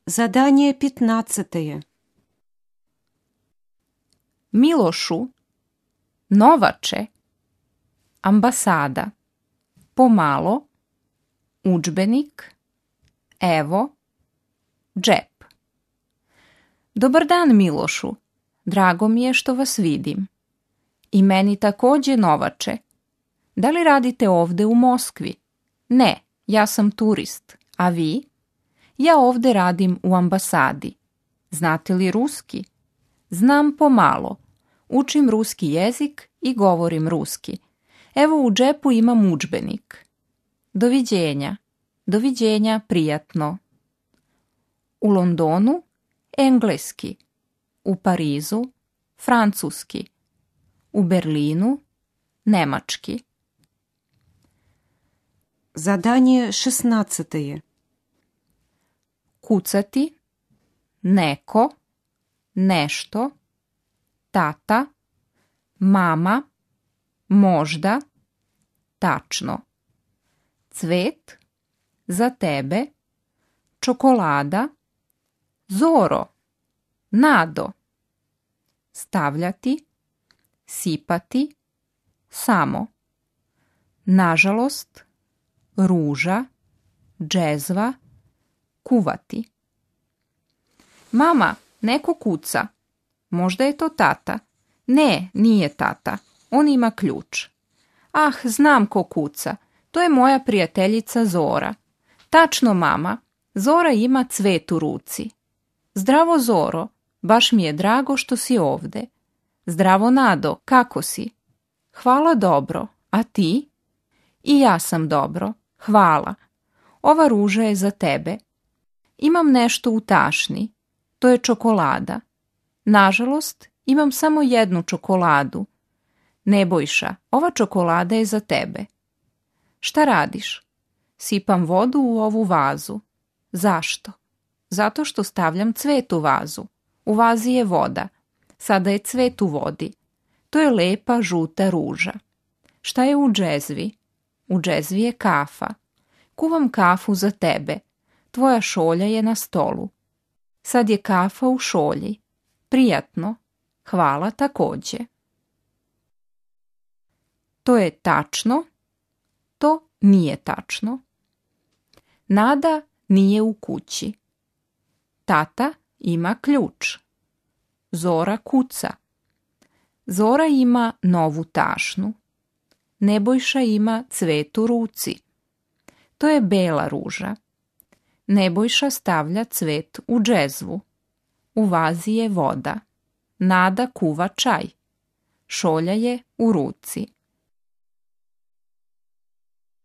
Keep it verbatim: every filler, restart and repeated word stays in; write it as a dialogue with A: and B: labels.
A: Задание пятнадцатое.
B: Milošu, Novače, ambasada, pomalo, udžbenik, evo, džep. Dobar dan, Milošu. Drago mi je što vas vidim. I meni takođe, Novače. Da li radite ovde u Moskvi? Ne, ja sam turist. A vi? Ja ovde radim u ambasadi. Znate li ruski? Znam pomalo. Učim ruski jezik i govorim ruski. Evo u džepu imam udžbenik. Doviđenja. Doviđenja, prijatno. U Londonu engleski. U Parizu francuski. U Berlinu nemački.
A: Задание шестнадцатое.
B: Kucati, neko, nešto, tata, mama, možda, tačno. Cvet, za tebe, čokolada, Zoro, Nado. Stavljati, sipati, samo. Nažalost, ruža, džezva, kuvati. Mama, neko kuca. Možda je to tata. Ne, nije tata. On ima ključ. Ah, znam ko kuca. To je moja prijateljica Zora. Tačno, mama. Zora ima cvet u ruci. Zdravo, Zoro. Baš mi je drago što si ovde. Zdravo, Nado. Kako si? Hvala, dobro. A ti? I ja sam dobro. Hvala. Ova ruža je za tebe. Imam nešto u tašni. To je čokolada. Nažalost, imam samo jednu čokoladu. Nebojša, ova čokolada je za tebe. Šta radiš? Sipam vodu u ovu vazu. Zašto? Zato što stavljam cvet u vazu. U vazi je voda. Sada je cvet u vodi. To je lepa žuta ruža. Šta je u džezvi? U džezvi je kafa. Kuvam kafu za tebe. Tvoja šolja je na stolu. Sad je kafa u šolji. Prijatno. Hvala takođe. To je tačno. To nije tačno. Nada nije u kući. Tata ima ključ. Zora kuca. Zora ima novu tašnu. Nebojša ima cvet u ruci. To je bela ruža. Nebojša stavlja cvet u džezvu. U vazi je voda. Nada kuva čaj. Šolja je u ruci.